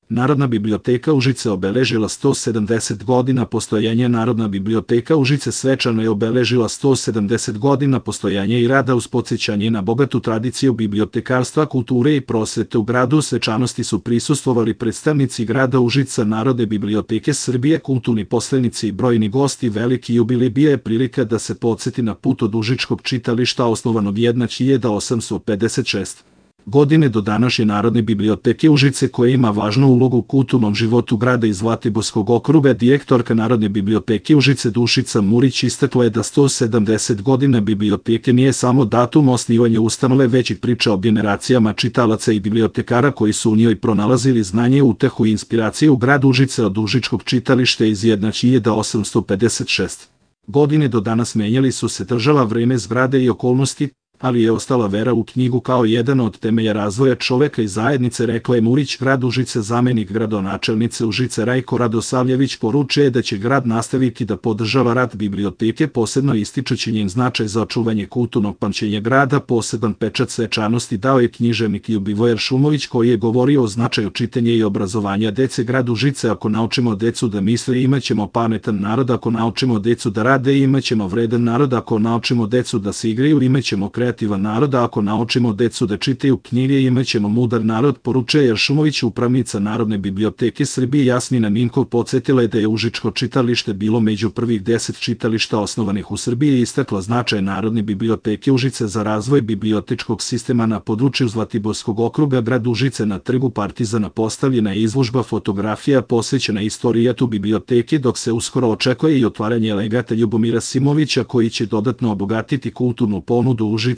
Narodna biblioteka Užice obeležila 170 godina postojanja. Narodna biblioteka Užice svečano je obeležila 170 godina postojanja i rada uz podsjećanje na bogatu tradiciju bibliotekarstva, kulture i prosvete. U gradu svečanosti su prisustvovali predstavnici grada Užica, Narodne biblioteke Srbije, kulturni poslenici i brojni gosti. Veliki jubilej bio je prilika da se podsjeti na put od Užičkog čitališta osnovanog 1856. godine do današnje Narodne biblioteke Užice, koja ima važnu ulogu u kulturnom životu grada i Zlatiborskog okruga. Direktorka Narodne biblioteke Užice Dušica Murić istakla je da 170 godina biblioteke nije samo datum osnivanja ustanove, već i priča o generacijama čitalaca i bibliotekara koji su u njoj pronalazili znanje, utehu i inspiraciju. U gradu Užice od Užičkog čitališta iz 1856. godine do danas menjali su se država, vreme, zgrade i okolnosti, ali je ostala vera u knjigu kao jedan od temelja razvoja čoveka i zajednice, rekla je Murić. Grad Užice, zamenik gradonačelnice Užice Rajko Radosavljević, poručuje da će grad nastaviti da podržava rad biblioteke, posebno ističući njen značaj za očuvanje kulturnog pamćenja grada. Poseban pečat svečanosti dao je književnik Ljubivoje Šumović, koji je govorio o značaju čitanja i obrazovanja dece. Grad Užice: ako naučimo decu da misle, imaćemo pametan narod; ako naučimo decu da rade, imaćemo vredan narod; ako naučimo decu da se igraju, imaćemo kreativan narod; ako naučimo decu da čitaju knjige, imaćemo mudar narod, poručuje Šumović. Upravnica Narodne biblioteke Srbije Jasmina Minkov podsjetila je da je Užičko čitalište bilo među prvih 10 čitališta osnovanih u Srbiji i istakla značaj Narodne biblioteke Užice za razvoj bibliotečkog sistema na području Zlatiborskog okruga. Grad Užice: na trgu Partizana postavljena je izložba fotografija posvećena istorijatu biblioteke, dok se uskoro očekuje i otvaranje legata Ljubomira Simovića, koji će dodatno obogatiti kulturnu ponudu Užica.